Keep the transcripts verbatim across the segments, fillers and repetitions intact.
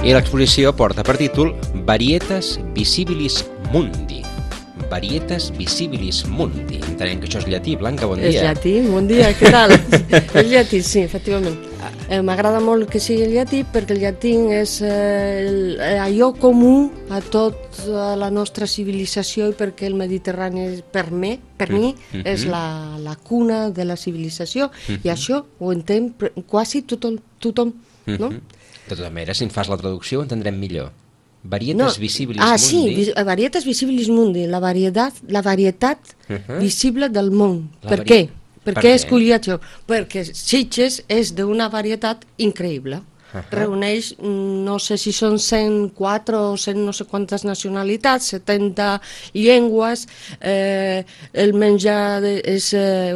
I l'exposició porta per títol Varietas Visibilis Mundi. Varietas Visibilis Mundi. Entenem que això és llatí. Blanca, bon dia. És llatí, bon dia, què tal? És llatí, sí, efectivament. Eh, M'agrada molt que sigui el llatí perquè el llatí és eh, el, allò comú a tota la nostra civilització i perquè el Mediterrani, per mi, per mi mm-hmm. és la, la cuna de la civilització mm-hmm. i això ho entén quasi tothom, tothom mm-hmm. no? De tota manera, si en fas la traducció ho entendrem millor. Varietas no. Visibilis ah, Mundi. Sí, vis Varietas Visibilis Mundi, la varietat, la varietat uh-huh. visible del món. La per què? Per, per què he escollit això? Perquè Sitges és d'una varietat increïble. Uh-huh. Reuneix, no sé si són cent quatre o cent no sé quantes nacionalitats, setanta llengües, eh, el menjar de, és eh,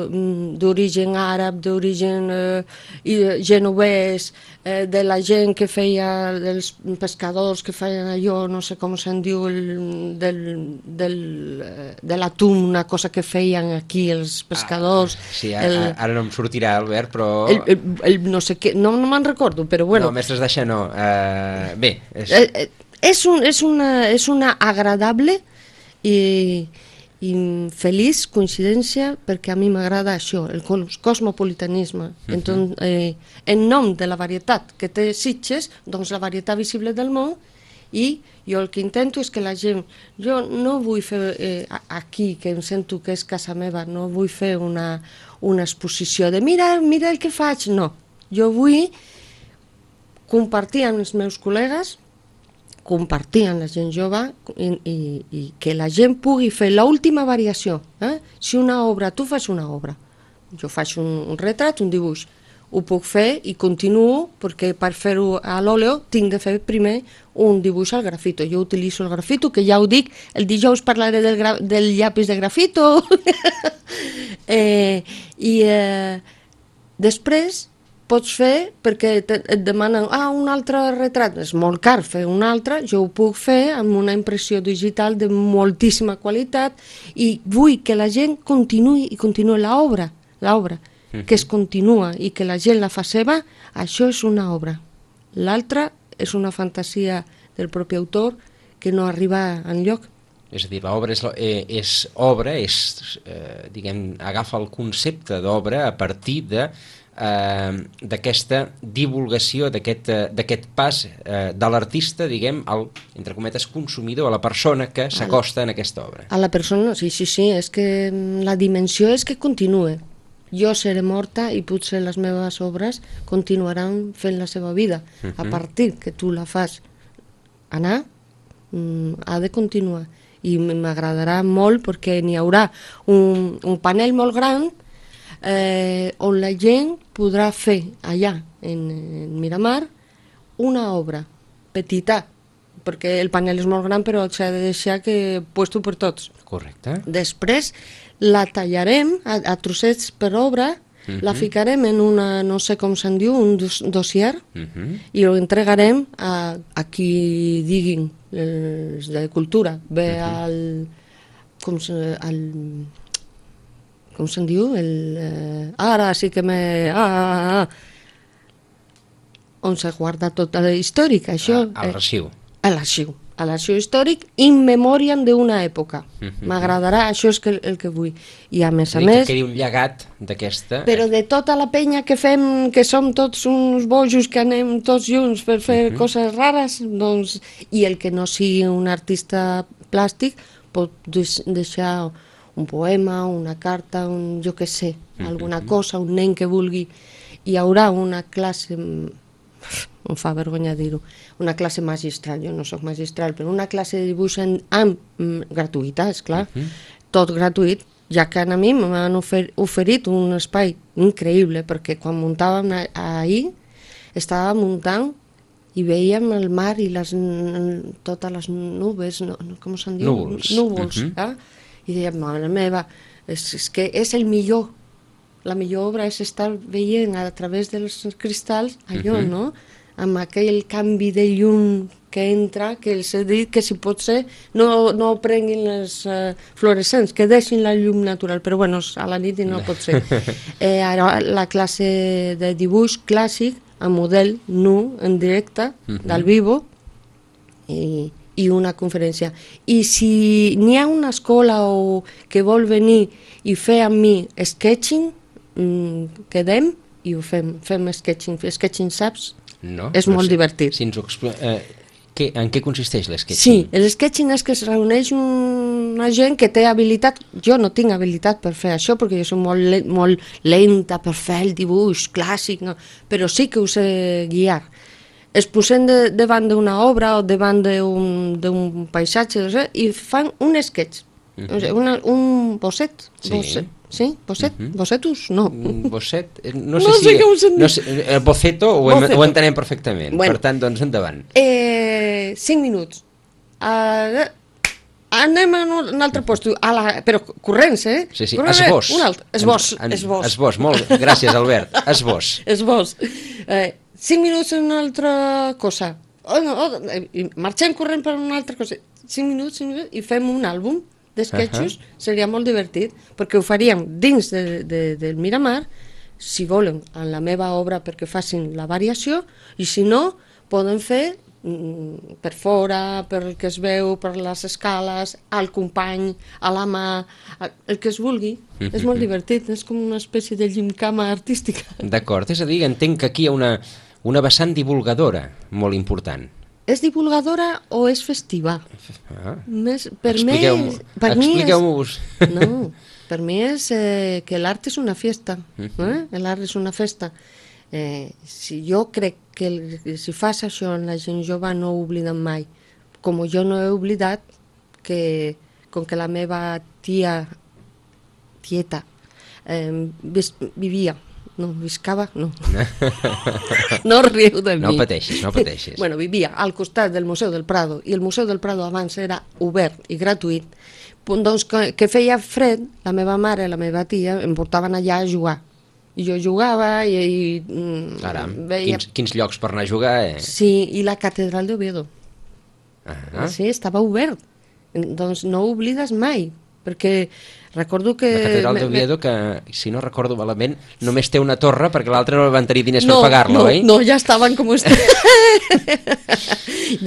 d'origen àrab, d'origen eh, genovès, eh, de la gent que feia, dels pescadors que feien allò, no sé com se'n diu, el, del, del, de l'atún, una cosa que feien aquí els pescadors. Ah, sí, el, ara no em sortirà, Albert, però... El, el, el, no sé què, no, no me'n recordo, però bueno... No, mestres d'això no. Uh, bé... És... Eh, és, un, és, una, és una agradable i, i feliç coincidència perquè a mi m'agrada això, el cosmopolitanisme. Uh-huh. Entonces, eh, en nom de la varietat que té Sitges, doncs la varietat visible del món, i jo el que intento és que la gent... Jo no vull fer eh, aquí, que em sento que és casa meva, no vull fer una, una exposició de mira, mira el que faig, no. Jo vull compartir amb els meus col·legues, compartir amb la gent jove i, i, i que la gent pugui fer l'última variació. Eh? Si una obra, tu fas una obra, jo faig un, un retrat, un dibuix, ho puc fer i continuo perquè per fer-ho a l'òleo tinc de fer primer un dibuix al grafito. Jo utilitzo el grafito, que ja ho dic, el dijous parlaré del, gra del llapis de grafito. eh, I eh, després pots fer, perquè te, et demanen ah, un altre retrat, és molt car fer un altre, jo ho puc fer amb una impressió digital de moltíssima qualitat i vull que la gent continuï i continuï l'obra, l'obra, uh-huh. que es continua i que la gent la fa seva, això és una obra. L'altra és una fantasia del propi autor que no arriba enlloc. És a dir, l'obra és, eh, és obra, és, eh, diguem, agafa el concepte d'obra a partir de Eh, d'aquesta divulgació, d'aquest eh, pas eh, de l'artista, diguem, al, entre cometes, consumidor, a la persona que s'acosta en aquesta obra. A la persona, sí, sí, sí, és que la dimensió és que continue. Jo seré morta i potser les meves obres continuaran fent la seva vida. Uh-huh. A partir que tu la fas anar, mm, ha de continuar. I m'agradarà molt perquè n'hi haurà un, un panel molt gran Eh, on la gent podrà fer allà en, en Miramar una obra petita, perquè el panel és molt gran però s'ha de deixar que puesto per tots. Correcte. Després la tallarem a, a trossets per obra, uh-huh. la ficarem en una, no sé com se'n diu, un dos, dossier, uh-huh. i ho entregarem a, a qui diguin els de cultura, ve uh-huh. al... com se, al com se'n diu? El, eh, ara sí que me... Ah, ah, ah. On se guarda tota la històrica, això... A, a l'arxiu. Eh, a l'arxiu. A l'arxiu històric, in memoriam d'una època. Mm-hmm. M'agradarà, això és que, el que vull. I a més a més... Que quedi un llegat d'aquesta... Però de tota la penya que fem, que som tots uns bojos, que anem tots junts per fer mm-hmm. coses rares, doncs... I el que no sigui un artista plàstic pot deixar... un poema, una carta, un, jo què sé, mm-hmm. alguna cosa, un nen que vulgui. Hi haurà una classe, em fa vergonya dir-ho, una classe magistral, jo no soc magistral, però una classe de dibuix en, amb, mm, gratuïta, esclar, mm-hmm. tot gratuït, ja que a mi m'han ofer, oferit un espai increïble, perquè quan muntàvem ahir, estava muntant i veiem el mar i les, totes les nubes, no, com se'n diu? Núvols. Núvols, mm-hmm. eh? I dèiem, mare meva, és, és que és el millor, la millor obra és estar veient a través dels cristalls allò, uh-huh. no? Amb aquell canvi de llum que entra, que els he dit que si pot ser no, no prenguin les uh, fluorescents, que deixin la llum natural, però bueno, a la nit no pot ser. Eh, ara la classe de dibuix clàssic, a model nu, en directe, uh-huh. del vivo, i, i una conferència. I si n'hi ha una escola o que vol venir i fer amb mi sketching, mm, quedem i ho fem, fem sketching. Sketching, saps? No, és no molt sé. divertit. Si ens ho expl... eh, què, en què consisteix l'sketching? Sí, el sketching és que es reuneix una gent que té habilitat. Jo no tinc habilitat per fer això, perquè jo soc molt, le molt lenta per fer el dibuix clàssic, no? Però sí que ho sé guiar. Es posen de, davant d'una obra o davant d'un paisatge, no sé, i fan un sketch, uh -huh. o sigui, una, un bosset. Sí. Bosset. Sí? Bosset? Uh -huh. Bossetus? No. Bosset? No sé no si... Sé què us en no sé, el boceto ho, boceto. ho entenem perfectament. Bueno, per tant, doncs, endavant. Eh, cinc minuts. Uh, anem a un altre post, a la, però corrents, eh? Sí, sí, corrents, esbós. Un altre. Esbós, en, en, esbós. Esbós, molt. Gràcies, Albert. Esbós. Esbós. Eh, cinc minuts en una altra cosa. Oh, no, oh, eh, marxem corrent per una altra cosa. Cinc minuts, cinc minuts, i fem un àlbum d'esquetxos. Uh -huh. Seria molt divertit, perquè ho faríem dins de, de, del Miramar, si volen, en la meva obra perquè facin la variació, i si no, poden fer mm, per fora, per el que es veu, per les escales, al company, a la mà, el que es vulgui. Uh -huh. És molt divertit, és com una espècie de gimcama artística. D'acord, és a dir, entenc que aquí hi ha una, una vessant divulgadora molt important. És divulgadora o és festiva? Ah. Més, per Expliqueu-m'ho. Expliqueu-vos. No, per mi és eh, que l'art és una fiesta. Eh? L'art és una festa. Eh, si jo crec que el, si fas això en la gent jove no ho obliden mai. Com jo no he oblidat que, com que la meva tia, tieta, eh, vis, vivia, no, viscava, no. No riu de mi. No pateixis, no pateixis. Bueno, vivia al costat del Museu del Prado, i el Museu del Prado abans era obert i gratuït. Doncs que, que feia fred, la meva mare i la meva tia em portaven allà a jugar. I jo jugava i... i Caram, veia... quins, quins llocs per anar a jugar, eh? Sí, i la catedral d'Oviedo. Ah. Sí, estava obert. Doncs no ho oblides mai, perquè recordo que... La catedral d'Oviedo, que, si no recordo malament, només té una torre perquè l'altra no van tenir diners no, per pagar-la, no, oi? No, ja estaven com estan.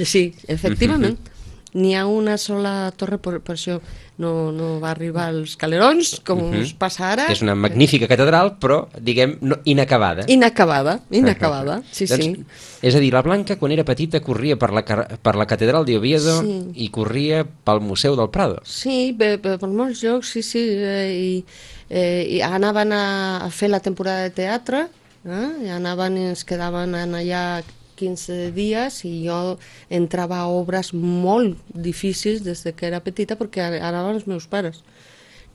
Sí, efectivament. N'hi ha una sola torre, per, per això no, no va arribar als calerons, com uh -huh. us passa ara. És una magnífica catedral, però, diguem, no, inacabada. Inacabada, inacabada, sí, doncs, sí. És a dir, la Blanca, quan era petita, corria per la, per la catedral d'Oviedo Sí. i corria pel Museu del Prado. Sí, per, per, per molts llocs, sí, sí. Eh, i, eh, I anaven a, a fer la temporada de teatre, eh, i anaven i ens quedaven allà quinze dies, i jo entrava a obres molt difícils des de que era petita, perquè anaven els meus pares.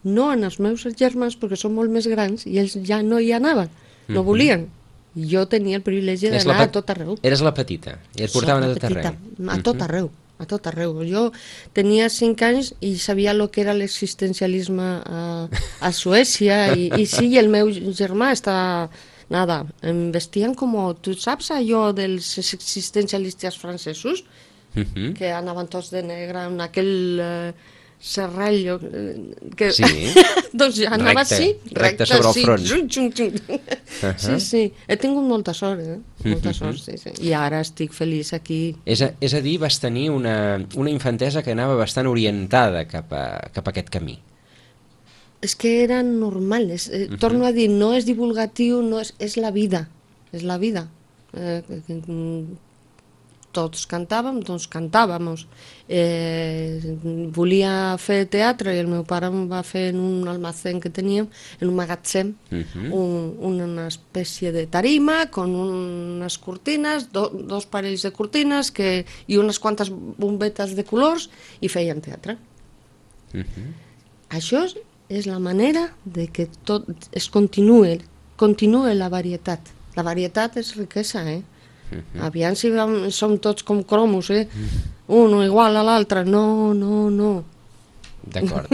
No en els meus germans, perquè són molt més grans, i ells ja no hi anaven, no volien. I jo tenia el privilegi d'anar a tot arreu. Eres la petita, i et portaven a tot petita, arreu. A tot arreu, a tot arreu. Jo tenia cinc anys i sabia el que era l'existencialisme a, a Suècia, i, i sí, el meu germà estava... Nada, em vestien com... Tu saps allò dels existencialistes francesos? Uh -huh. Que anaven tots de negre en aquell eh, serrallo... Eh, que... Sí. Doncs anava recte, així, recte sobre el sí. front. Xum, xum, xum. Uh -huh. Sí, sí, he tingut molta sort, eh? Molta uh -huh. sort, sí, sí. I ara estic feliç aquí. És a, és a dir, vas tenir una, una infantesa que anava bastant orientada cap a, cap a aquest camí. És que era normal, és, eh, uh -huh. torno a dir, no és divulgatiu, no és, és la vida, és la vida. Eh, tots cantàvem, doncs cantàvem. Eh, volia fer teatre i el meu pare em va fer en un almacén que teníem, en un magatzem, uh -huh. un, una espècie de tarima con unes cortines, do, dos parells de cortines que, i unes quantes bombetes de colors, i feien teatre. Uh -huh. Això és és la manera de que tot es continuï, continuï la varietat. La varietat és riquesa, eh? Uh-huh. Aviam si vam, som tots com cromos, eh? Uh-huh. Uno igual a l'altre. No, no, no. D'acord.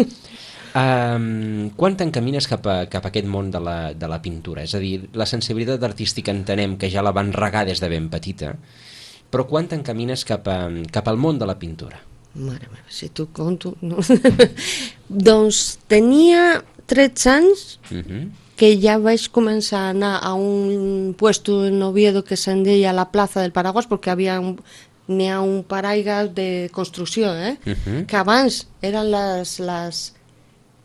um, quan t'encamines cap, a, cap a aquest món de la, de la pintura? És a dir, la sensibilitat artística entenem que ja la van regar des de ben petita, però quan t'encamines cap, a, cap al món de la pintura? Mare meva, si tu conto... No. Doncs tenia tretze anys uh-huh. que ja vaig començar a anar a un puesto en Oviedo que se'n deia la plaça del Paraguas, perquè havia un, n'hi ha un paraigua de construcció, eh? Uh -huh. Que abans eren les, les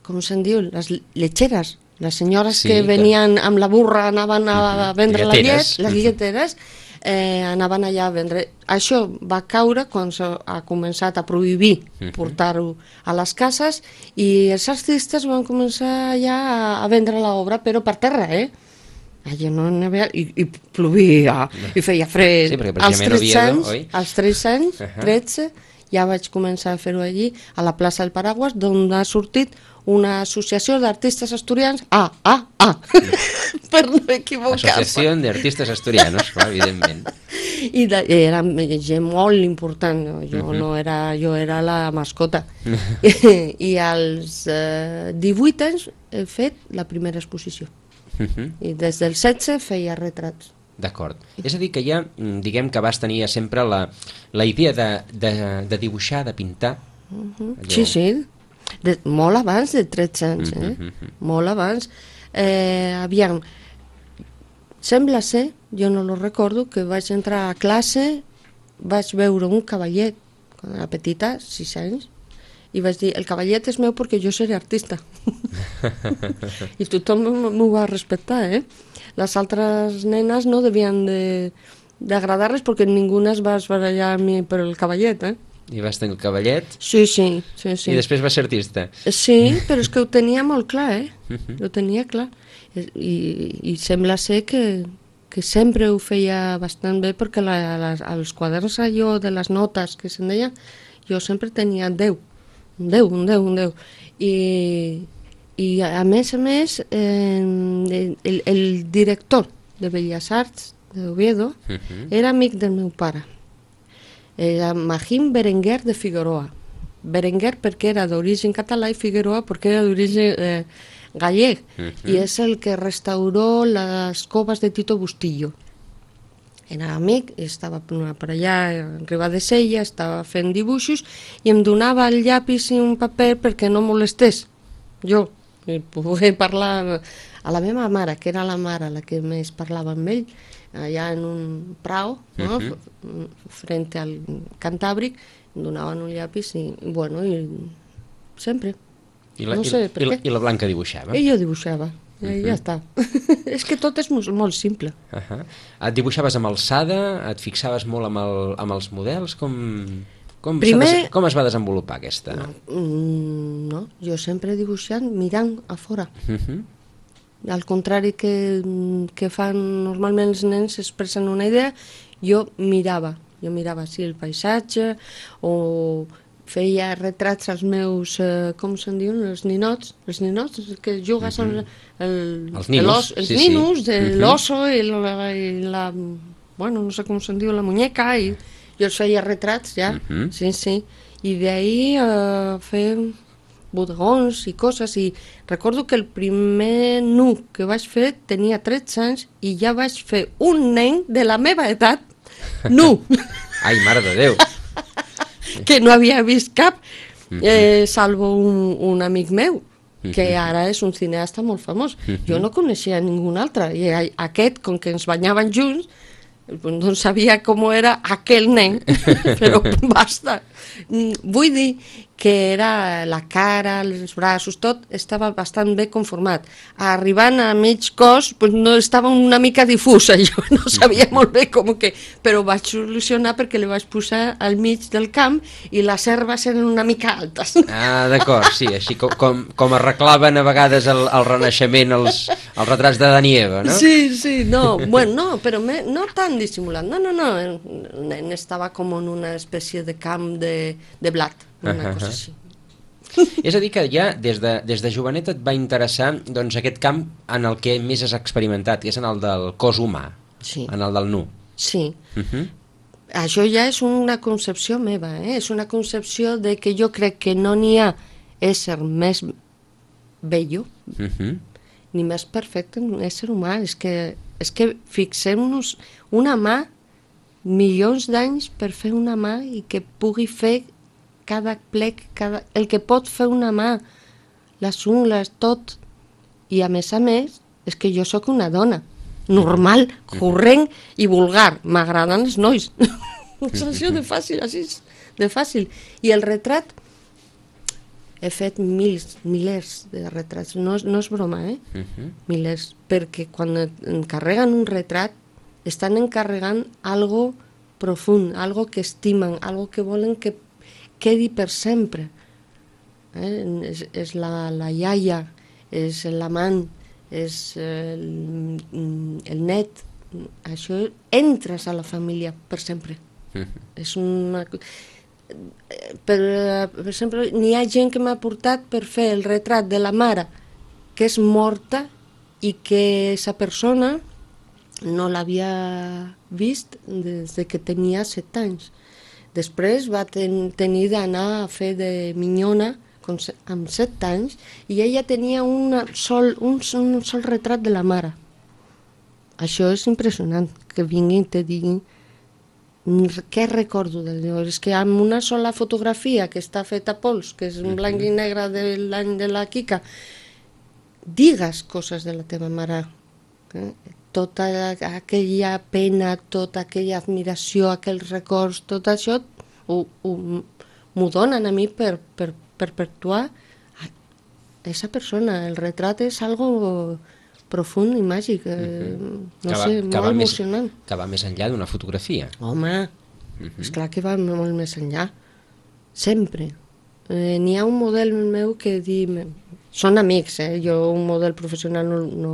com se'n diu, les lletgeres, les senyores Sí, que que- venien amb la burra, anaven a Mhm. vendre la Lleteres. llet, les Mhm. lleteres, eh, anaven allà a vendre. Això va caure quan s'ha començat a prohibir Mhm. portar-ho a les cases i els artistes van començar ja a, a vendre l'obra, però per terra, eh? Allà no n'hi havia... I, i plovia, i feia fred. Sí, perquè als precisament tretze Oviedo, anys, oi? als tretze anys, Ahà. tretze, ja vaig començar a fer-ho allí, a la plaça del Paraguas, d'on ha sortit una associació d'artistes asturians, ah, ah, ah, per no equivocar-se. Associació d'Artistes Asturianos, clar, evidentment. I de, era gent molt important, no? Jo, Mhm. no era, jo era la mascota. I, I als eh, divuit anys he fet la primera exposició. Mhm. I des del setze feia retrats. D'acord. És a dir, que ja, mm, diguem que vas tenir sempre la, la idea de, de, de dibuixar, de pintar. Allò- Sí, sí, de, molt abans de tretze anys, eh? Mhm, mhm. Molt abans. Eh, aviam, sembla ser, jo no lo recordo, que vaig entrar a classe, vaig veure un cavallet, quan era petita, sis anys, i vaig dir, el cavallet és meu perquè jo seré artista. I tothom m'ho va respectar, eh? Les altres nenes no devien de d'agradar-les perquè ningú es va esbarallar amb mi per el cavallet, eh? I vas tenir el cavallet, Sí, sí, sí, sí. i després vas ser artista. Sí, però és que ho tenia molt clar, eh? Mhm. Ho tenia clar. I, i sembla ser que, que sempre ho feia bastant bé perquè la, les, als quaderns allò de les notes que se'n deia, jo sempre tenia deu, un deu, un deu, un deu. I, i a més a més, eh, el, el director de Belles Arts d'Oviedo Mhm. era amic del meu pare. Era Magín Berenguer de Figueroa. Berenguer perquè era d'origen català i Figueroa perquè era d'origen eh, gallec. Mhm. I és el que restauró les coves de Tito Bustillo. Era amic, estava per allà a Ribadesella, estava fent dibuixos i em donava el llapis i un paper perquè no molestés jo, i poder parlar a la meva mare, que era la mare la que més parlava amb ell, allà en un prau, no? Mhm. F- frente al Cantàbric, em donaven un llapis i, bueno, i sempre. I la, No i, sé per i, la, què. I la Blanca dibuixava. I jo dibuixava, i Mhm. ja està. És que tot és molt, molt simple. Uh -huh. Et dibuixaves amb alçada? Et fixaves molt amb, el, amb els models? Com, com, Primer- s'ha des- com es va desenvolupar aquesta? No, mm, no, jo sempre he dibuixat mirant a fora. Uh -huh. Al contrari que, que fan normalment els nens, expressen una idea, jo mirava, jo mirava sí, el paisatge, o feia retrats als meus, eh, com se'n diuen, els ninots, els ninots que jugues Mhm. amb el, Els ninos, l'os- els sí, sí. ninos, de Mhm. l'oso i la, i la, bueno, no sé com se'n diu, la muñeca, i jo els feia retrats ja, Mhm. sí, sí, i d'ahir eh, fer bodegons i coses, i recordo que el primer nu que vaig fer tenia tretze anys i ja vaig fer un nen de la meva edat, nu, Ai, mare de Déu! que no havia vist cap, eh, salvo un, un amic meu, que Mhm. ara és un cineasta molt famós. Mhm. Jo no coneixia ningú altre, i a- aquest, com que ens banyaven junts, no sabia com era aquell nen, però basta. Mm, Vull dir que era la cara, els braços, tot estava bastant bé conformat. Arribant a mig cos, pues no estava una mica difús, allò, no sabia molt bé com que... Però ho vaig solucionar perquè li vaig posar al mig del camp i les herbes eren una mica altes. Ah, d'acord, sí, així com, com, com arreglaven a vegades el, el Renaixement els, els retrats de Dani i Eva, no? Sí, sí, no, bueno, no, però me, no tan dissimulat, no, no, no, el nen estava com en una espècie de camp de, de blat, una cosa així. És a dir, que ja des de, des de jovenet et va interessar doncs, aquest camp en el que més has experimentat, que és en el del cos humà, Sí, en el del nu. sí. Uh -huh. Això ja és una concepció meva, eh? És una concepció de que jo crec que no n'hi ha ésser més bello Uh -huh. ni més perfecte que un ésser humà. És que, és que fixem-nos, una mà, milions d'anys per fer una mà i que pugui fer cada plec, cada... el que pot fer una mà, les ungles, tot. I a més a més, és que jo sóc una dona normal, corrent i vulgar. M'agraden els nois. És això de fàcil, així de fàcil. I el retrat, he fet mils, milers de retrats, no, no és broma, eh? Uh-huh. Milers, perquè quan encarreguen un retrat, estan encarregant algo profund, algo que estimen, algo que volen que quedi per sempre. Eh? És, és la, la iaia, és l'amant, és el, el net. Això entres a la família per sempre. Uh-huh. És una... Per, per exemple, n'hi ha gent que m'ha portat per fer el retrat de la mare que és morta i que aquesta persona no l'havia vist des que tenia set anys. Després va ten, tenir d'anar a fer de minyona amb set anys i ella tenia una sol, un, un sol retrat de la mare. Això és impressionant, que vinguin i te diguin què recordo del Déu. És que amb una sola fotografia que està feta a pols, que és en blanc i negre de l'any de la Quica, digues coses de la teva mare. Eh? Tota aquella pena, tota aquella admiració, aquells records, tot això m'ho donen a mi per, per perpetuar aquesta persona. El retrat és algo profund i màgic, eh, uh-huh. no que va, sé, molt emocionant. Més, que va més enllà d'una fotografia. Home, uh-huh. esclar que va molt més enllà. Sempre. Eh, n'hi ha un model meu que di... Són amics, eh? Jo un model professional no, no,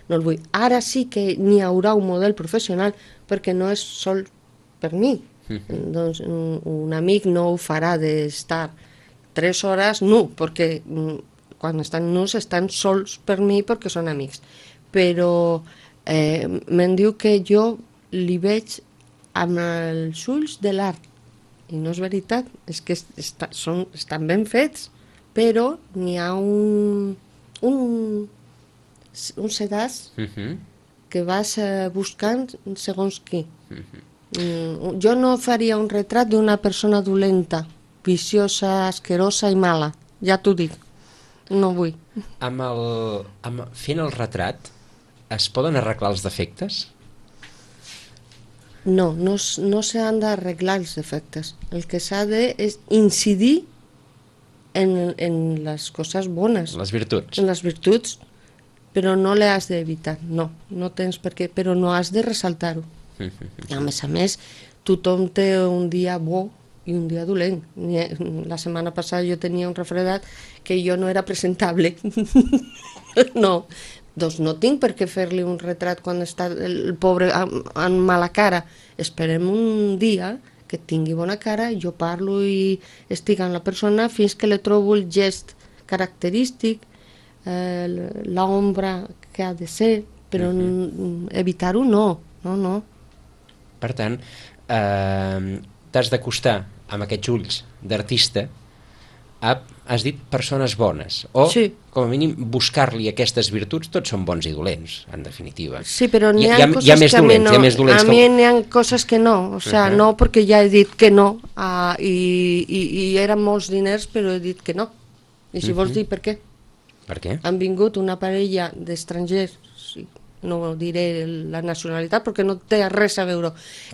no el vull. Ara sí que n'hi haurà un model professional perquè no és sol per mi. Uh-huh. Doncs un, un amic no ho farà d'estar tres hores nu, perquè... quan estan nus estan sols per mi perquè són amics, però eh, me'n diu que jo li veig amb els ulls de l'art i no és veritat, és que està, són, estan ben fets, però n'hi ha un un, un sedàs uh-huh. que vas eh, buscant segons qui. Uh-huh. mm, jo no faria un retrat d'una persona dolenta, viciosa, asquerosa i mala, ja t'ho dic. No vull. Amb el, amb, fent el retrat, es poden arreglar els defectes? No, no, no s'han d'arreglar els defectes. El que s'ha de és incidir en, en les coses bones. Les virtuts. En les virtuts, però no les has d'evitar, no. No tens per què, però no has de ressaltar-ho. I a més a més, tothom té un dia bo i un dia dolent. La setmana passada jo tenia un refredat que jo no era presentable. No, doncs no tinc per què fer-li un retrat quan està el pobre amb mala cara. Esperem un dia que tingui bona cara, jo parlo i estic amb la persona fins que li trobo el gest característic, eh, l'ombra que ha de ser, però uh-huh. evitar-ho no, no, no. Per tant, eh, t'has d'acostar amb aquests ulls d'artista a, has dit, persones bones, o sí. com a mínim buscar-li aquestes virtuts. Tots són bons i dolents, en definitiva. Sí, però n'hi ha, hi ha coses hi ha més que dolents, a mi no, hi ha més dolents a mi n'hi ha coses que no, o sea, uh-huh. no perquè ja he dit que no, uh, i, i, i eren molts diners, però he dit que no. I si uh-huh. vols dir per què? Per què? Han vingut una parella d'estrangers, sí, no diré la nacionalitat perquè no té res a veure,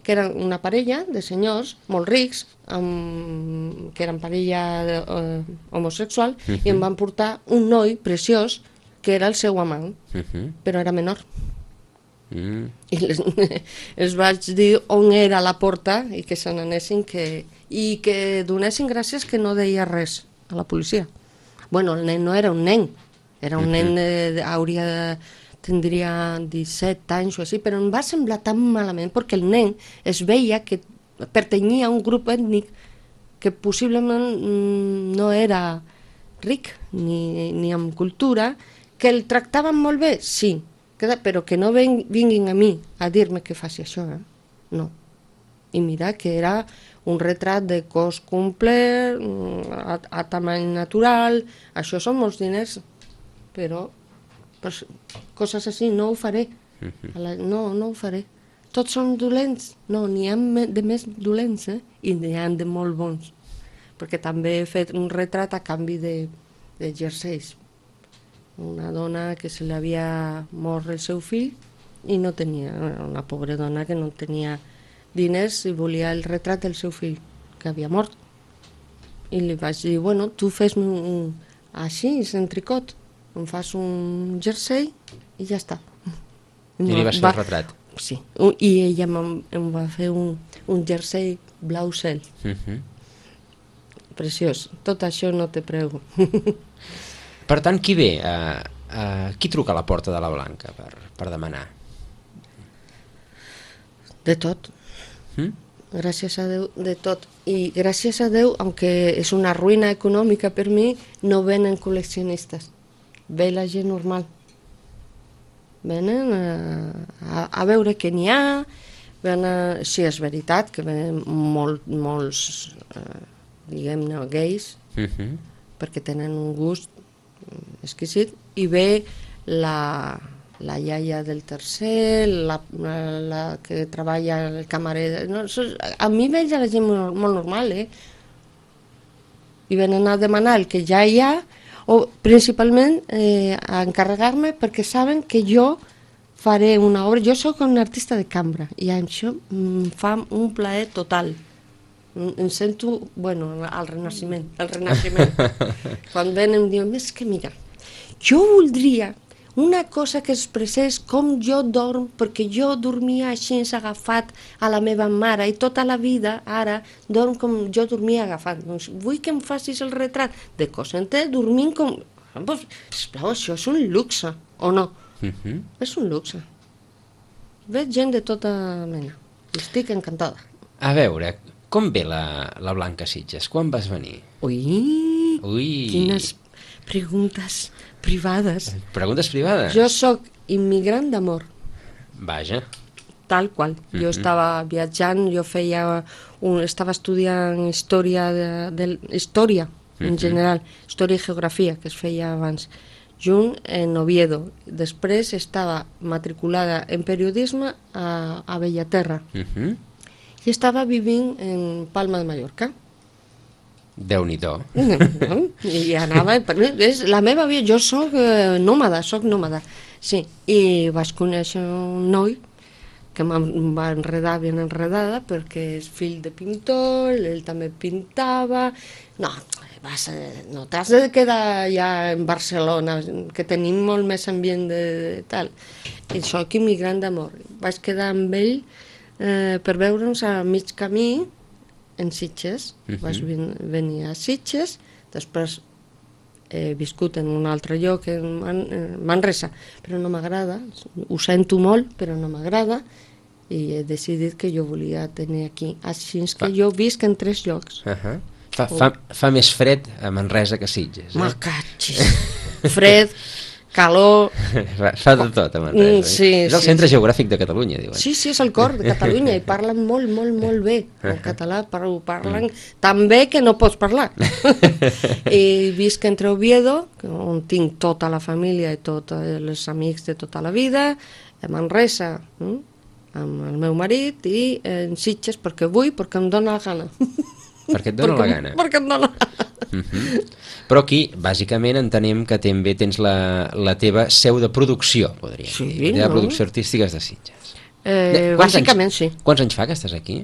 que eren una parella de senyors molt rics, amb, que eren parella de, uh, homosexual, uh-huh. i em van portar un noi preciós que era el seu amant, uh-huh. però era menor. Uh-huh. I les, els vaig dir on era la porta i que se n'anessin, que, i que donessin gràcies que no deia res a la policia. Bueno, el nen no era un nen, era un uh-huh. nen, de, hauria de tindria disset anys o així, però em va semblar tan malament perquè el nen es veia que pertanyia a un grup ètnic que possiblement no era ric ni, ni amb cultura, que el tractaven molt bé, sí, però que no vinguin a mi a dir-me que faci això, eh? No. I mira que era un retrat de cos complet, a, a tamany natural, això són molts diners, però pues, coses així no ho faré. La, no, no ho faré. Tots són dolents? No, n'hi ha de més dolents, eh? I n'hi ha de molt bons. Perquè també he fet un retrat a canvi de, de jerseis. Una dona que se li havia mort el seu fill i no tenia, una pobra dona que no tenia diners i volia el retrat del seu fill, que havia mort. I li vaig dir, bueno, tu fes-me un, així, en tricot, em fas un jersei i ja està. I li vas fer el retrat? Sí, i ella em va fer un, un jersei blau cel. Uh-huh. Preciós. Tot això no te prego. Per tant, qui ve? Uh, uh, qui truca a la porta de la Blanca per, per demanar? De tot. Mm? Gràcies a Déu, de tot. I gràcies a Déu, aunque és una ruïna econòmica per mi, no venen col·leccionistes. Ve la gent normal. Venen a, a, a veure què n'hi ha. Venen, sí, és veritat que venen molt, molts... Eh, diguem-ne, gais, uh-huh. perquè tenen un gust exquisit, i ve la, la iaia del tercer, la, la que treballa el camarer... No, a mi veig a la gent molt, molt normal, eh? I venen a demanar el que ja hi ha, o principalment eh, a encarregar-me perquè saben que jo faré una obra... Jo sóc un artista de cambra, i això em fa un plaer total. Em sento, bueno, al renaixement, al renaixement. Quan venen em diuen, és que mira, jo voldria una cosa que expressés com jo dorm, perquè jo dormia així agafat a la meva mare i tota la vida ara dorm com jo dormia agafat. Doncs vull que em facis el retrat de Cosente dormint com... Sisplau, això és un luxe, o no? Uh-huh. És un luxe. Veig gent de tota mena. Estic encantada. A veure... Com ve la, la Blanca Sitges? Quan vas venir? Ui, Ui, quines preguntes privades. Preguntes privades? Jo sóc immigrant d'amor. Vaja. Tal qual. Mm-hmm. Jo estava viatjant, jo feia un, estava estudiant història, de, de, història mm-hmm. en general, història i geografia, que es feia abans, junt en Oviedo. Després estava matriculada en periodisme a, a Bellaterra. Mm-hmm. I estava vivint en Palma de Mallorca. Déu-n'hi-do. I anava... És la meva vida, jo soc eh, nòmada, soc nòmada. Sí, i vaig conèixer un noi que em va enredar ben enredada perquè és fill de pintor, ell també pintava... No, vas, no t'has de quedar ja en Barcelona, que tenim molt més ambient de, de tal. I soc immigrant d'amor. Vaig quedar amb ell Eh, per veure'ns a mig camí en Sitges. Uh-huh. Vaig ven venir a Sitges, després he viscut en un altre lloc, en Man Manresa, però no m'agrada, ho sento molt, però no m'agrada, i he decidit que jo volia tenir aquí. Així que jo visc en tres llocs. Uh-huh. fa, fa, fa més fred a Manresa que a Sitges. Eh? Macatxis. Fred, calor... Fa, fa de tot a Manresa. Mm, sí, és el sí, centre sí. geogràfic de Catalunya, diuen. Sí, sí, és el cor de Catalunya i parlen molt, molt, molt bé el català, ho parlen tan bé que no pots parlar. I visc entre Oviedo, on tinc tota la família i tots els amics de tota la vida, a Manresa, eh? amb el meu marit, i en Sitges perquè vull, perquè em dóna la gana. Perquè et dóna perquè, la gana. Perquè em dóna la gana. Uh-huh. Però aquí, bàsicament, entenem que també tens la, la teva seu de producció, podríem sí, dir. La teva no? producció artística és de Sitges. Eh, bàsicament, anys, sí. Quants anys fa que estàs aquí?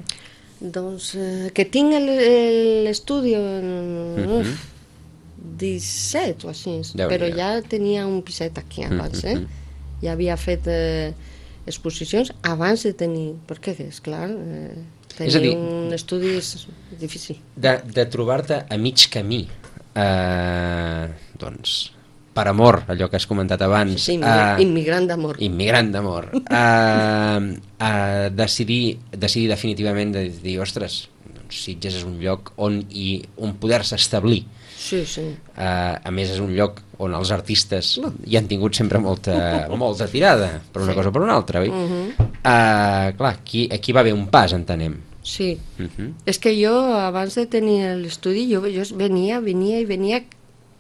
Doncs eh, que tinc l'estudi en uh-huh. disset o així, però ja tenia un piset aquí abans, uh-huh. eh? Ja havia fet eh, exposicions abans de tenir... Perquè, esclar... Eh, tenir dir, un estudi és difícil. De, de trobar-te a mig camí, eh, doncs, per amor, allò que has comentat abans... Sí, immigrant, eh, immigrant d'amor. Immigrant d'amor. Eh, eh, decidir, decidir definitivament de dir, ostres, doncs Sitges és un lloc on, i, on poder-se establir. Sí, sí. Eh, a més, és un lloc on els artistes no. hi han tingut sempre molta, molta tirada, per una sí. cosa o per una altra, oi? Uh-huh. Uh, clar, aquí, aquí va haver un pas, entenem. Sí, uh-huh. És que jo abans de tenir l'estudi jo, jo venia, venia i venia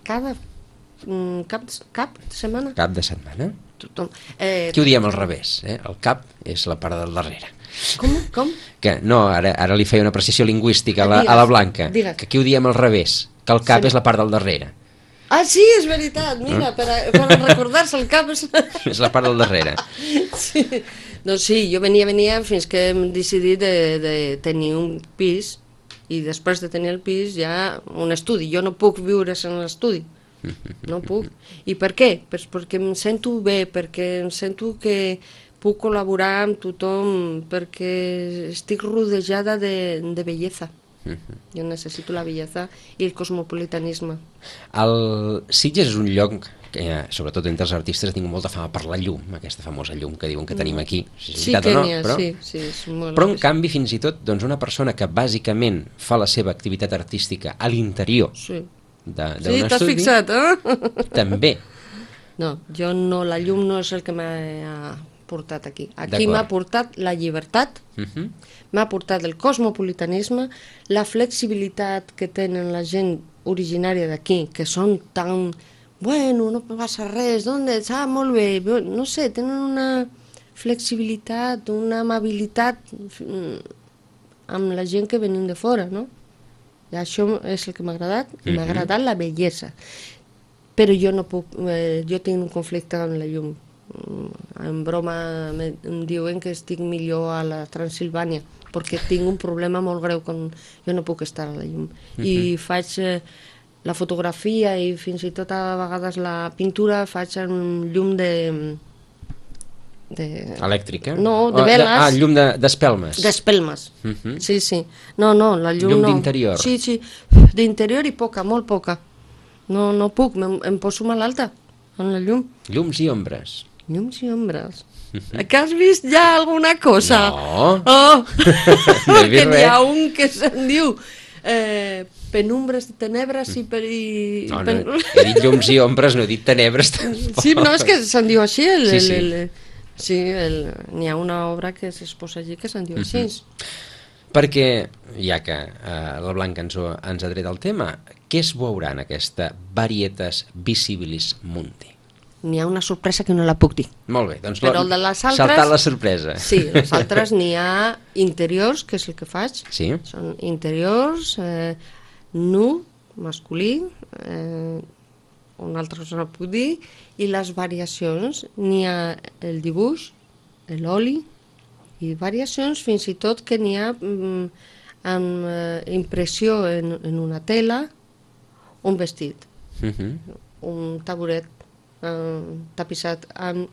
cada mm, cap, cap de setmana. Cap de setmana? Tothom. Eh, Aquí ho diem al revés, eh? El cap és la part del darrere. Com? Com? Que no, ara, ara li feia una precisió lingüística a la, digues, a la Blanca, digues. Que aquí ho diem al revés, que el cap sí. és la part del darrere. Ah, sí, és veritat, mira, per, a, per a recordar-se el cap és... és la part del darrere. Sí, Doncs sí, jo venia, venia fins que hem decidit de, de tenir un pis i després de tenir el pis ja un estudi. Jo no puc viure en l'estudi, no puc. I per què? Pues perquè em sento bé, perquè em sento que puc col·laborar amb tothom, perquè estic rodejada de, de bellesa. Jo necessito la bellesa i el cosmopolitanisme. El Sitges és un lloc que, sobretot entre els artistes, ha tingut molta fama per la llum, aquesta famosa llum que diuen que tenim aquí. Si és Sí veritat que o no, n'hi ha, però, sí, sí, és molt però en especial. canvi, fins i tot, doncs una persona que bàsicament fa la seva activitat artística a l'interior Sí, de- sí d'un t'has estudi, fixat, eh? també. No, jo no, la llum no és el que m'ha portat aquí. Aquí D'acord. m'ha portat la llibertat, Uh-huh. m'ha portat el cosmopolitanisme, la flexibilitat que tenen la gent originària d'aquí, que són tan... Bueno, no passa res, d'on ets? Ah, molt bé. No sé, tenen una flexibilitat, una amabilitat mm, amb la gent que venim de fora, no? I això és el que m'ha agradat, i m'ha Mhm. agradat la bellesa. Però jo no puc, eh, jo tinc un conflicte amb la llum. Mm, En broma me- em diuen que estic millor a la Transilvània, perquè tinc un problema molt greu quan jo no puc estar a la llum. I faig eh, la fotografia i fins i tot a vegades la pintura faig amb llum de... de Elèctrica? No, de O veles. Ah, llum de- d'espelmes. d'espelmes. Mhm. Sí, sí. No, no, la llum, Llum no. d'interior. Sí, sí, d'interior i poca, molt poca. No, no puc, em, em poso malalta amb la llum. Llums i ombres. Llums i ombres. Que has vist ja alguna cosa? No. Oh! No he vist que n'hi ha res. un que se'n diu eh, penumbres de tenebres i... Per, i No, no, pen... he dit llums i ombres, no he dit tenebres tampoc. Sí, no, és que se'n diu així. El, Sí, el, sí. el, el, sí, el, n'hi ha una obra que s'exposa allí que se'n diu així. Perquè, ja que eh, la Blanca ens, ho- ens ha tret el tema, què es veurà en aquesta Varietas Visibilis Mundi? N'hi ha una sorpresa que no la puc dir. Molt bé, doncs Però el de les altres- saltar la sorpresa. Sí, les altres n'hi ha interiors, que és el que faig. Sí? Són interiors, eh, nu, masculí, eh, una altra cosa no puc dir, i les variacions, n'hi ha el dibuix, l'oli, i variacions fins i tot que n'hi ha mm, amb eh, impressió en, en una tela, un vestit, Uh-huh. un taburet eh, tapissat amb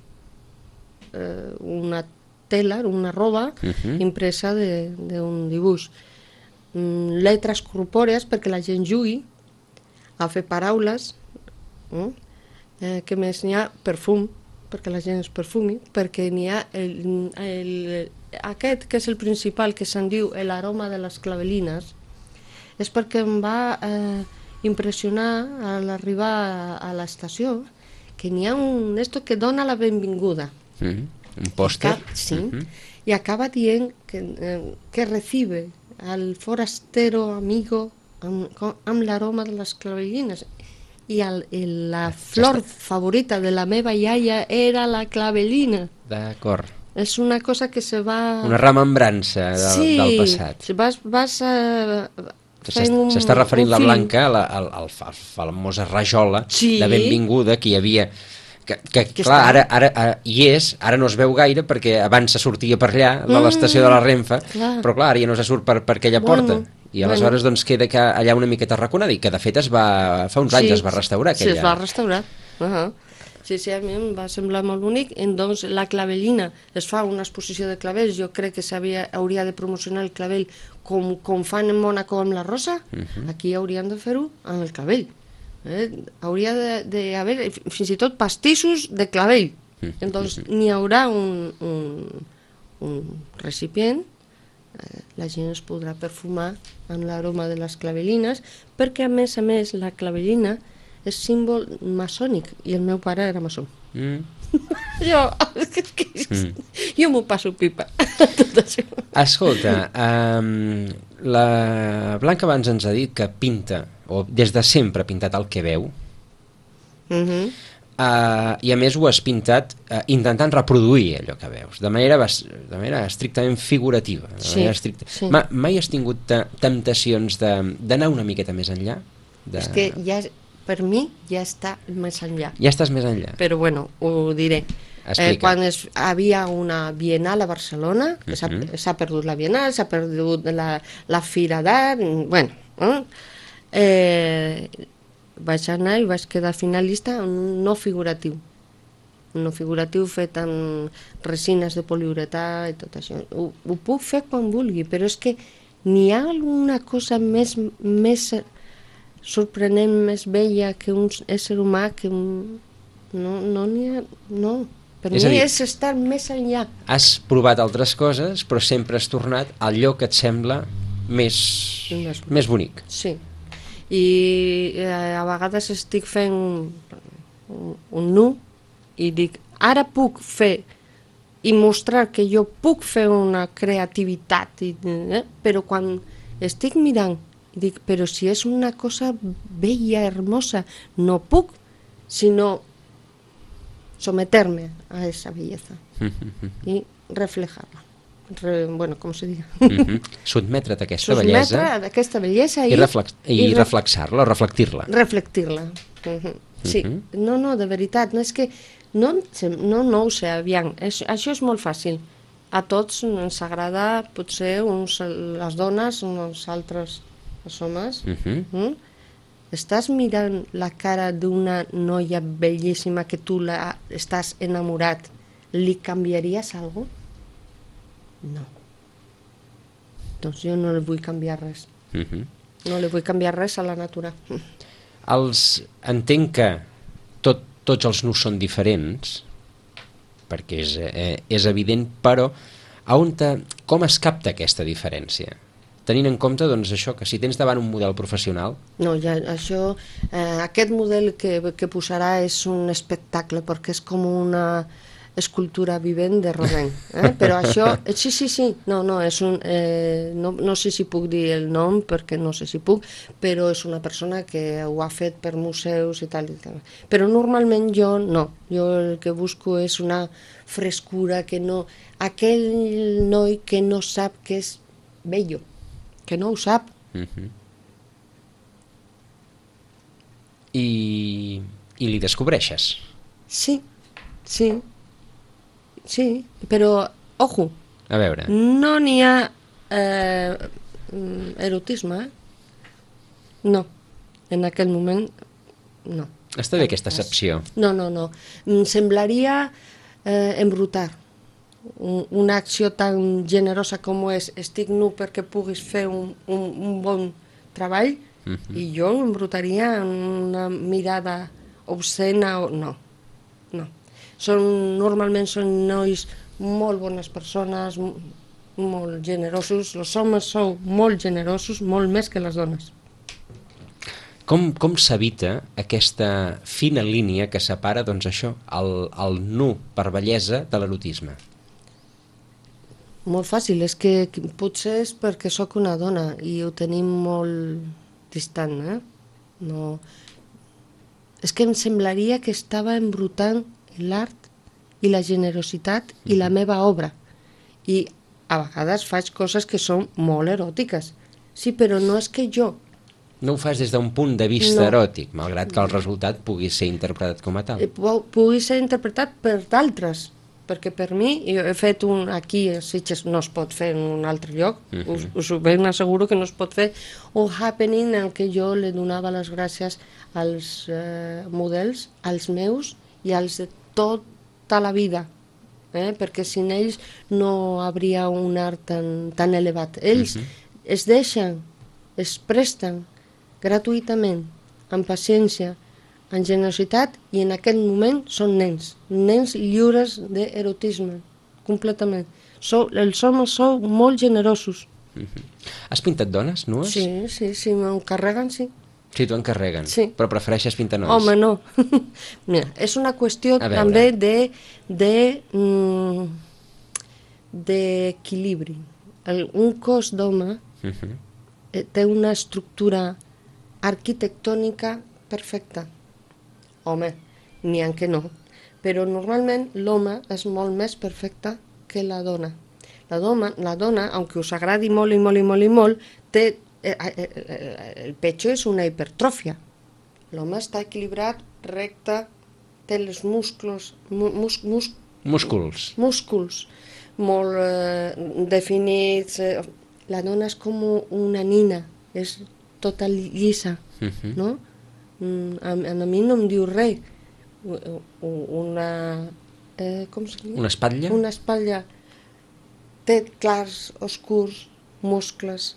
eh, una tela, una roba Mhm. impresa de- d'un dibuix. Mm, lletres corpòrees perquè la gent jugui a fer paraules. Mm? Eh, què més? N'hi ha perfum, perquè la gent es perfumi, perquè n'hi ha el, el, aquest que és el principal, que se'n diu l'aroma de les clavelines, és perquè em va eh, impressionar a l'arribar a, a l'estació que n'hi ha un esto que dona la benvinguda. Uh-huh. Un pòster. Acab- Sí, Uh-huh. y acaba dient que, eh, que recibe al forastero amigo amb, com- amb l'aroma de les clavellines. I el, el, la flor favorita de la meva iaia era la clavellina. D'acord. És una cosa que se va... Una remembrança del, sí, del passat. si vas, vas a... fent un- S'està referint un la film. Blanca a la, a, a la famosa rajola Sí. de benvinguda que hi havia que, que, Que clar, està- ara, ara, ara hi és, ara no es veu gaire perquè abans se sortia per allà, de Mm, l'estació de la Renfe, clar. però clar, ara ja no se surt per, per aquella Bueno, porta i aleshores bueno. doncs queda que allà una miqueta arraconada i que de fet es va, fa uns anys es va restaurar Sí, aquella. es va restaurar. Uh -huh. Sí, sí, a mi em va semblar molt bonic. Doncs la clavellina, es fa una exposició de clavells, jo crec que s'havia hauria de promocionar el clavell com, com fan en Mònaco amb la rosa, uh -huh. aquí haurien de fer-ho amb el clavell. Eh? Hauria d'haver fins i tot pastissos de clavell. Doncs n'hi haurà un, un, un recipient, eh, la gent es podrà perfumar amb l'aroma de les clavellines, perquè a més a més la clavellina és símbol maçònic i el meu pare era maçó. Mm. Jo, mm. jo m'ho passo pipa, tot això. Escolta, um, la Blanca abans ens ha dit que pinta, o des de sempre ha pintat el que veu, Uh -huh. uh, i a més ho has pintat uh, intentant reproduir allò que veus, de manera, bas- de manera estrictament figurativa. De Sí, manera estricta. sí. Ma, mai has tingut te- temptacions de- d'anar una miqueta més enllà? De... És que ja, per mi ja està més enllà. Ja estàs més enllà. Però bueno, ho diré. explica. Eh, quan es, havia una Bienal a Barcelona, que s'ha Mhm. s'ha perdut la Bienal, s'ha perdut la, la Fira d'Art, bueno, eh? Eh, vaig anar i vaig quedar finalista en un no figuratiu. Un no figuratiu fet amb resines de poliuretà i tot això. Ho, ho puc fer quan vulgui, però és que n'hi ha alguna cosa més, més sorprenent, més bella que un ésser humà que un... No, no n'hi ha... No. Per És mi a dir, és estar més enllà. Has provat altres coses, però sempre has tornat al lloc que et sembla més, Més- més bonic. Sí. I eh, a vegades estic fent un, un, un nu i dic, ara puc fer i mostrar que jo puc fer una creativitat, i, eh? Però quan estic mirant, dic, però si és una cosa bella, hermosa, no puc, sinó someterme a esa belleza i reflejarla. Re, bueno, com se diga? Mhm. Sotmetre't a aquesta Sotmetre bellesa a aquesta bellesa i, i, reflex i, i re- reflexar-la, o reflectir-la. reflectir-la. Mhm. Sí, Mhm. no, no, de veritat, no és que no, em sem- no, no ho sé, aviam, és, això és molt fàcil. A tots ens agrada, potser, uns, les dones, uns altres els homes. Mhm. Mm? Estàs mirant la cara d'una noia bellíssima que tu la, estàs enamorat, li canviaries alguna cosa? No. Doncs jo no li vull canviar res. Mhm. No li vull canviar res a la natura. Els, entenc que tot, tots els nus són diferents, perquè és, eh, és evident, però a on te, com es capta aquesta diferència? Tenint en compte, doncs, això, que si tens davant un model professional, No, ja, això, eh, aquest model que, que posarà és un espectacle, perquè és com una escultura vivent de Rodin. Eh? Però això, eh, sí, sí, sí, no, no, és un, eh, no, no sé si puc dir el nom, perquè no sé si puc, però és una persona que ho ha fet per museus i tal, i tal. Però normalment jo no, jo el que busco és una frescura, que no, aquell noi que no sap que és bello, que no ho sap. mhm. I, i li descobreixes. Sí, sí, sí, però, ojo, A veure, no n'hi ha eh, mm, erotisme, eh? No, en aquell moment, no. està bé aquesta excepció. No, no, no. Em semblaria eh, embrutar. Un, una acció tan generosa com és estic nu perquè puguis fer un, un, un bon treball, Mhm. i jo embrutaria amb una mirada obscena o... No, no. Són, normalment són nois molt bones persones, m- molt generosos. Els homes sou molt generosos, molt més que les dones. Com, com s'evita aquesta fina línia que separa, doncs això, el, el nu per bellesa de l'erotisme? Molt fàcil, és que que potser és perquè sóc una dona i ho tenim molt distant, eh? No... És que em semblaria que estava embrutant l'art i la generositat i la meva obra. I a vegades faig coses que són molt eròtiques. Sí, però no és que jo... No ho fas des d'un punt de vista No. eròtic, malgrat que el resultat pugui ser interpretat com a tal. eh, pu- pugui ser interpretat per d'altres, perquè per mi, jo he fet un, aquí a Sitges no es pot fer en un altre lloc, Mhm. us, us ho ben asseguro que no es pot fer, un happening en què jo li donava les gràcies als eh, models, als meus i als de tota la vida, eh? Perquè sin ells no hauria un art tan, tan elevat. Ells Mhm. es deixen, es presten gratuïtament, amb paciència, amb generositat, i en aquest moment són nens, nens lliures d'erotisme, completament. Sou, els homes sou molt generosos. Has pintat dones, nues? Sí, sí, sí, m'encarreguen, sí. Sí, t'ho encarreguen, Sí. però prefereixes pintar nois. Home, no. Mira, és una qüestió A veure. també de, de, mm, d'equilibri. El- Un cos d'home Mhm. eh, té una estructura arquitectònica perfecta. Home, n'hi ha que no. Però normalment l'home és molt més perfecte que la dona. La dona, la dona, aunque us agradi molt i molt i molt i molt, té, eh, eh, eh, el pecho és una hipertròfia. L'home està equilibrat, recte, té els musclos, mu, mus, mus, Músculs. Músculs molt eh, definits. Eh, la dona és com una nina, és tota llisa, uh-huh. no? Mm, a, a mi no em diu res. Una... Eh, com se diu? Una espatlla? Una espatlla. Té clars, oscurs, muscles,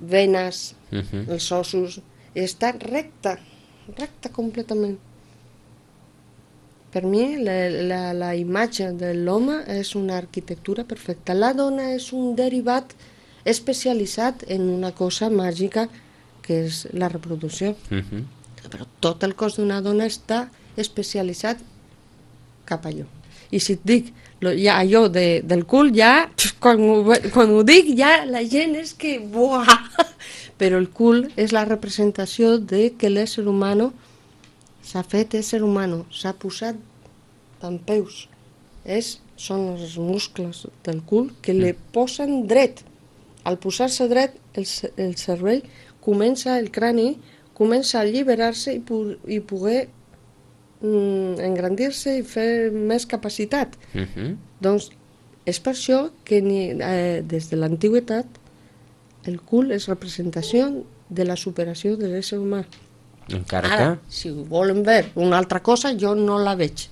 venes, uh-huh. els ossos. Està recta, recta completament. Per mi, la, la, la imatge de l'home és una arquitectura perfecta. La dona és un derivat especialitzat en una cosa màgica que és la reproducció. Uh-huh. Però tot el cos d'una dona està especialitzat cap allò. I si et dic ja, allò de, del cul, ja, quan ho, quan ho dic, ja la gent és que... Buah! Però el cul és la representació de que l'ésser humano s'ha fet ésser humano, s'ha posat en peus. És, són els muscles del cul que li posen dret. Al posar-se dret, el, el cervell comença, el crani, comença a alliberar-se i, pu i poder mm, engrandir-se i fer més capacitat. Uh-huh. Doncs és per això que ni, eh, des de l'antiguitat el cul és representació de la superació de l'ésser humà. Encara Ara, que... si volen veure una altra cosa, jo no la veig.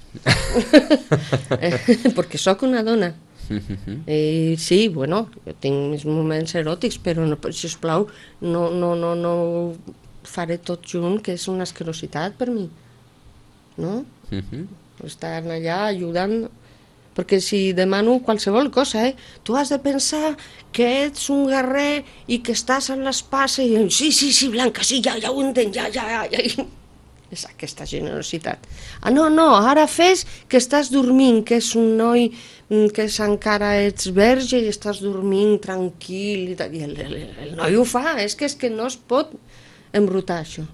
Perquè sóc una dona. I sí, bueno, jo tinc mis moments eròtics, però no, sisplau, no, no, no, no faré tot junt, que és una asquerositat per mi. No? Estar allà ajudant... Perquè si demano qualsevol cosa, eh? Tu has de pensar que ets un guerrer i que estàs en l'espasa i sí, sí, sí, Blanca, sí, ja, ja ho entenc, ja, ja, ja. És aquesta generositat. Ah, no, no, ara fes que estàs dormint, que és un noi que és, encara ets verge i estàs dormint tranquil. I, I el, el, el noi ho fa, és que, és que no es pot embrutar això.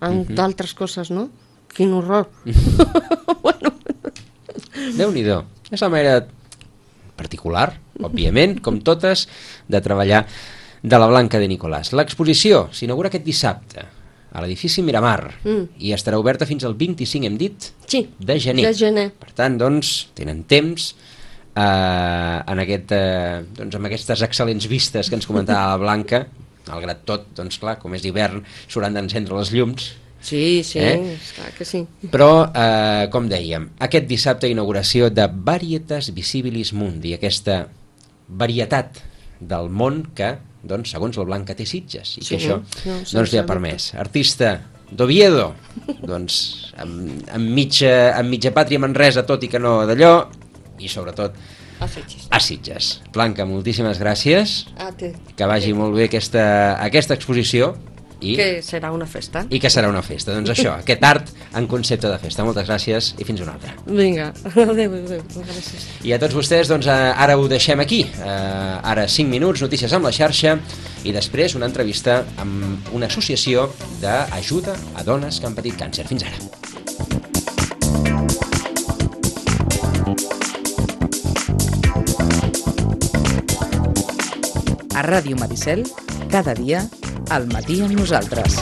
Amb uh-huh. d'altres coses, no? Quin horror. Bueno... Déu-n'hi-do. És la manera particular, òbviament, com totes, de treballar de la Blanca de Nicolàs. L'exposició s'inaugura aquest dissabte a l'edifici Miramar mm. i estarà oberta fins al vint-i-cinc, hem dit, sí, de gener. de gener. Per tant, doncs, tenen temps eh, en aquest, eh, doncs, amb aquestes excel·lents vistes que ens comentava la Blanca, malgrat tot, doncs clar, com és d'hivern, s'hauran d'encendre les llums. Sí, sí, eh? clar que sí. Però, eh, com dèiem, aquest dissabte inauguració de Varietas Visibilis Mundi, aquesta varietat del món que, doncs, segons la Blanca té Sitges, i sí, que això no, doncs, li ha permès. Artista d'Oviedo, doncs, amb, amb, mitja, amb mitja pàtria Manresa, tot i que no d'allò, i sobretot a Sitges. A Sitges. Blanca, moltíssimes gràcies, a te. Que vagi molt bé aquesta, aquesta exposició. I, que serà una festa. I que serà una festa. Doncs això, aquest art en concepte de festa. Moltes gràcies i fins una altra. Vinga, adéu, adéu. Gràcies. I a tots vostès, doncs ara ho deixem aquí. Uh, ara cinc minuts, notícies amb la xarxa i després una entrevista amb una associació d'ajuda a dones que han patit càncer. Fins ara. A Ràdio Maricel, cada dia al matí amb nosaltres.